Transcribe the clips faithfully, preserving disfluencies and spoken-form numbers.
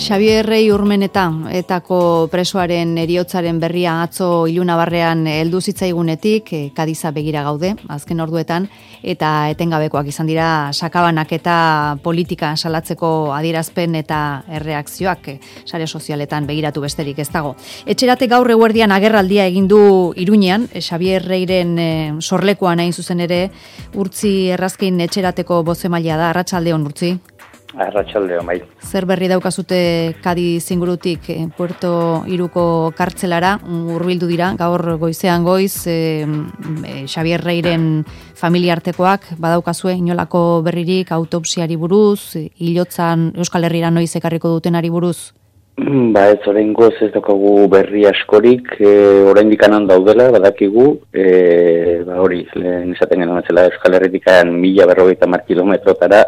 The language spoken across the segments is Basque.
Xabier Rei Urmeneta etako presoaren heriotzaren berria atzo ilunabarrean heldu zitzaigunetik, Kadiza begira gaude, azken orduetan, eta etengabekoak izan dira sakabanak eta politika salatzeko adierazpen eta erreakzioak sare sozialetan begiratu besterik ez dago. Etxerate gaur eguerdian agerraldia egin du Iruñean, Xabier Reiren sorlekuan hain zuzen ere, Urtzi Errazkin etxerateko bozemailea da. Arratsaldeon, Urtzi. Arratsaldeon, bai. Zer berri daukazute Kadiz ingurutik Puerto Iruko kartzelara hurbildu dira, gaur goizean goiz, e, e, Xabier Reiren familiartekoak badaukazue inolako berririk autopsiari buruz, hilotzan Euskal Herrira noiz ekarriko dutenari buruz? Ba, ez oraingoz ez daukagu berri askorik, e, oraindik anan daudela, badakigu, e, ba hori, lehen esaten genuen zela Euskal Herritikan mila berrogeita hamar kilometrotara,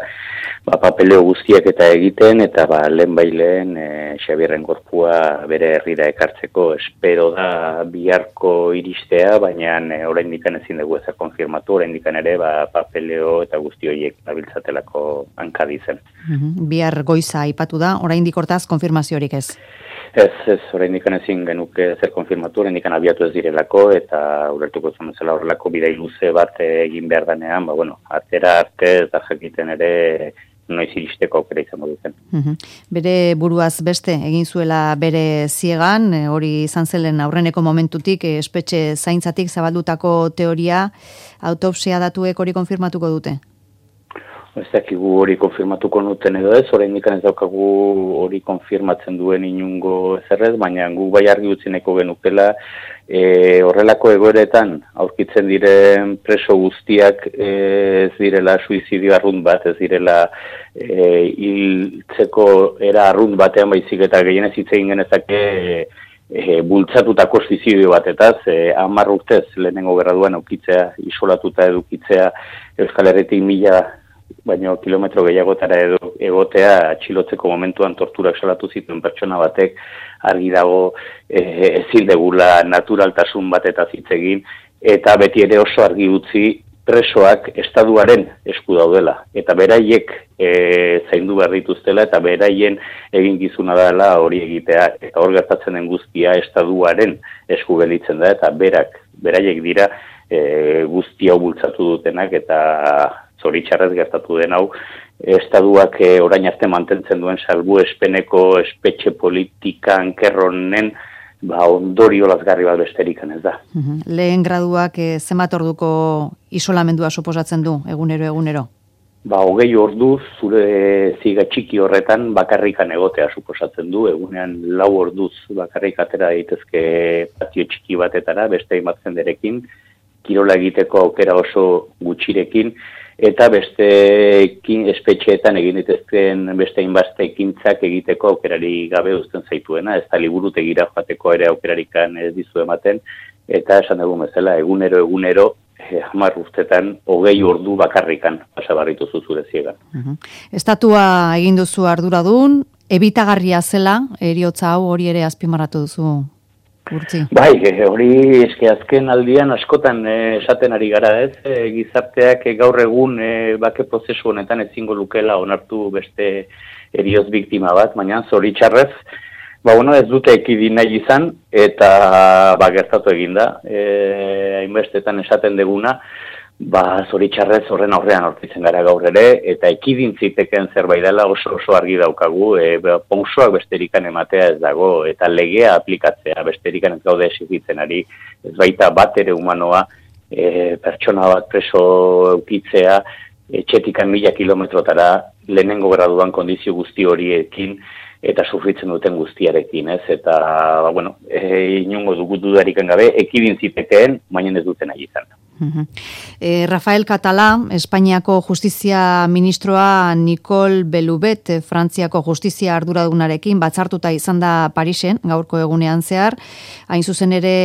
ba, papeleo guztiak eta egiten, eta ba, lehen baileen e, Xabierren gorpua bere herrira ekartzeko espero da biharko iristea, baina e, oraindik ezin dugu ezer konfirmatu, oraindik ere ba, papeleo eta guzti horiek abiltzatelako Kadizen. Mm-hmm. Bihar goiza aipatu da, oraindik hortaz konfirmaziorik ez? Ez, ez, oraindik ezin genuke zer konfirmatu, oraindik abiatu ez direlako, eta ulertuko zuen bezala horrelako bidai luze bat egin behar danean, ba, bueno, atera arte ez da jakiten ere noiz iristeko aukera izango duzen. Uhum. Bere buruaz beste egin zuela bere ziegan, hori izan zelen aurreneko momentutik, espetxe zaintzatik zabaldutako teoria, autopsia datuek hori konfirmatuko dute? Ez dakigu hori konfirmatuko nuten edo ez, oraindik ez daukagu hori konfirmatzen duen inungo ezerrez, baina gu bai argi utzi nahiko genukela, e, horrelako egoeretan aurkitzen diren preso guztiak e, ez direla suizidio arrunt bat, ez direla e, hiltzeko era arrunt batean baizik eta gehienez hitz egin genezake e, e, bultzatutako suizidio batetaz, e, hamar urtez lehenengo gerraduan aukitzea, isolatuta edukitzea Euskal Herritik mila baina kilometro gehiagotara edo egotea atxilotzeko momentuan torturak salatu zituen pertsona batek argi dago e, ezin degula naturaltasun batetaz hitz egin, eta beti ere oso argi utzi presoak estaduaren esku daudela, eta beraiek e, zaindu behar dituztela, eta beraien eginkizuna dela hori egitea, eta hor gertatzen den guztia estaduaren esku gelditzen da, eta berak, beraiek dira e, guzti hau bultzatu dutenak, eta zoritxarrez gertatu den hau, estaduak e, orain arte mantentzen duen salbu espeneko espetxe politika ankerronen ba, ondorio lazgarri bat besterikan ez da. Uhum. Lehen graduak e, zenbat orduko isolamendua suposatzen du, egunero, egunero? Ba, hogei orduz, zure ziga txiki horretan bakarrikan egotea suposatzen du, egunean lau orduz bakarrik atera daitezke patio txiki batetara, beste hainbat jenderekin, kirola egiteko aukera oso gutxirekin, eta beste espetxeetan egin ditezken beste hainbat ekintzak egiteko aukerari gabe uzten zaituena, ez da liburutegira joateko ere aukerarikan ez dizu ematen, eta esan dugu bezala, egunero, egunero, eh, hamar urtetan, hogei ordu bakarrikan pasabarritu zuzure ziegan. Uh-huh. Estatua egin duzu arduradun, ebitagarria zela, eriotza hau hori ere azpimarratu duzu. Urtzi. Bai, hori eske azken aldian askotan eh, esaten ari gara ez, e, gizarteak e, gaur egun e, bake prozesu honetan ezingo lukela onartu beste erioz biktima bat, baina zoritxarrez, ba, bueno, ez dute ekidin nahi izan, eta ba, gertatu eginda, e, hainbestetan esaten deguna, ba, zoritxarrez horren aurrean aurkitzen gara gaur ere, eta ekidin ziteken zerbait dela oso oso argi daukagu, e, pausoak besterikan ematea ez dago, eta legea aplikatzea besterikan ez gaude esigitzen ari, ez baita bat ere humanoa, e, pertsona bat preso eukitzea, etxetikan mila kilometrotara lehenengo graduan kondizio guzti horiekin, eta sufritzen duten guztiarekin, ez? Eta, ba, bueno, e, inungo dugu dudarikan gabe, ekidin zitekeen, baina ez duten nahi izan. Uh-huh. eh, Rafael Català, Espainiako justizia ministroa Nicole Belubet, Frantziako justizia arduradunarekin batzartuta izan da Parisen, gaurko egunean zehar, hain zuzen ere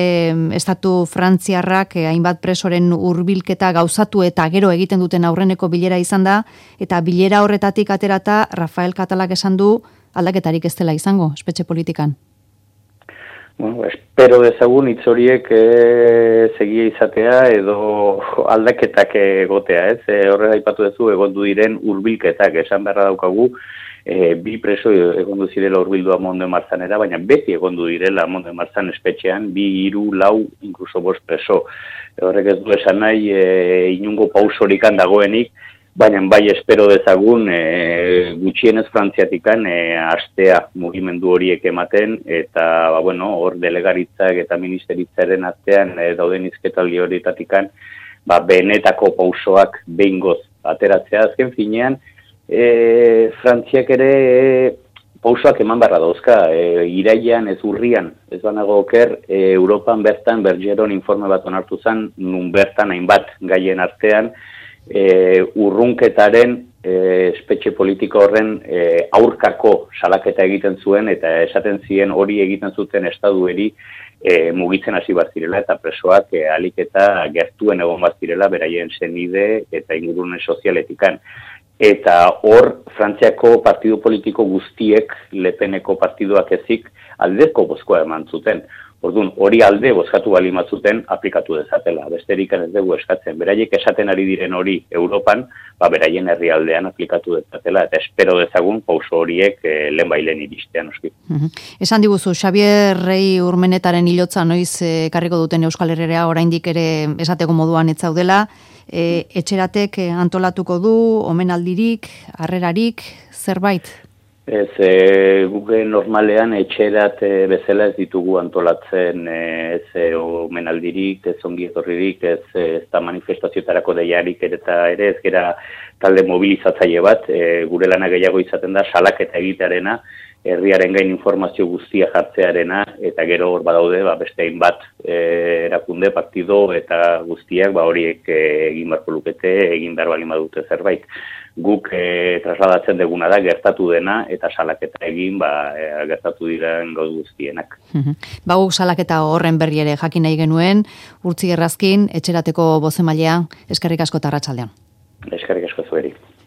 estatu frantziarrak eh, hainbat presoren hurbilketa gauzatu eta gero egiten duten aurreneko bilera izan da, eta bilera horretatik aterata Rafael Catalak esan du aldaketarik ez dela izango, espetxe politikan. Bueno, espero dezagun hitz horiek e, segia izatea edo aldaketak egotea, ez? E, horrela aipatu duzu egondu diren hurbilketak esan beharra daukagu e, bi preso egondu zirela urbildua Monde Marzanera, baina beti egondu direla Monde Marzan espetxean, bi, hiru, lau, inkluso bost preso. E, horrek ez du esan nahi, e, inungo pausorikan dagoenik, baina bai espero dezagun e, gutxienez Frantziatikan e, astea mugimendu horiek ematen, eta ba, bueno, hor delegaritzak eta ministeritzaren artean e, dauden izketaldi horietatikan ba, benetako pausoak behingoz ateratzea. Azken finean, e, Frantziak ere e, pausoak eman barra dauzka, e, irailean ez urrian, ez banago oker, e, Europan bertan Bergeron informe bat onartu zen, nun bertan hainbat gaien artean, E, urrunketaren e, espetxe politiko horren e, aurkako salaketa egiten zuen eta esaten ziren hori egiten zuten estadueri e, mugitzen hasi bat zirela eta presoak e, alik eta gertuen egon bat zirela beraien senide eta ingurune sozialetikan. Eta hor, Frantziako partidu politiko guztiek, Lepeneko partiduak ezik, aldeko bozkoa eman zuten. Orduan, hori alde bozkatu bali matzuten aplikatu dezatela. Besterik ez dugu eskatzen. Beraiek esaten ari diren hori Europan, ba, beraien herrialdean aplikatu dezatela. Eta espero dezagun pauso horiek e, lehen bailen iristean. Uh-huh. Esan diguzu, Xabier Rei Urmenetaren hilotza noiz ekarriko duten Euskal Herrera oraindik ere esateko moduan ez zaudela. E, etxeratek antolatuko du, omenaldirik, harrerarik, zerbait? Ez, e, guge normalean etxerat e, bezala ez ditugu antolatzen e, ez e, omenaldirik, ez ongi etorririk, ez, ez da manifestazioetarako deiarik eta ere ez gera talde mobilizatzaile bat, e, gure lana gehiago izaten da salaketa egitearena, herriaren gain informazio guztia jartzearena, eta gero hor badaude ba, beste hainbat e, erakunde, partido eta guztiak ba, horiek e, egin barko lukete, egin behar balin badute zerbait. Guk e, trasladatzen deguna da gertatu dena eta salaketa egin ba, e, gertatu diren gauz guztienak. Ba, guk salaketa horren berri ere jakin nahi genuen, Urtzi Errazkin, etxerateko bozemailea, eskerrik asko eta arratsaldean. Eskerrik asko zueri.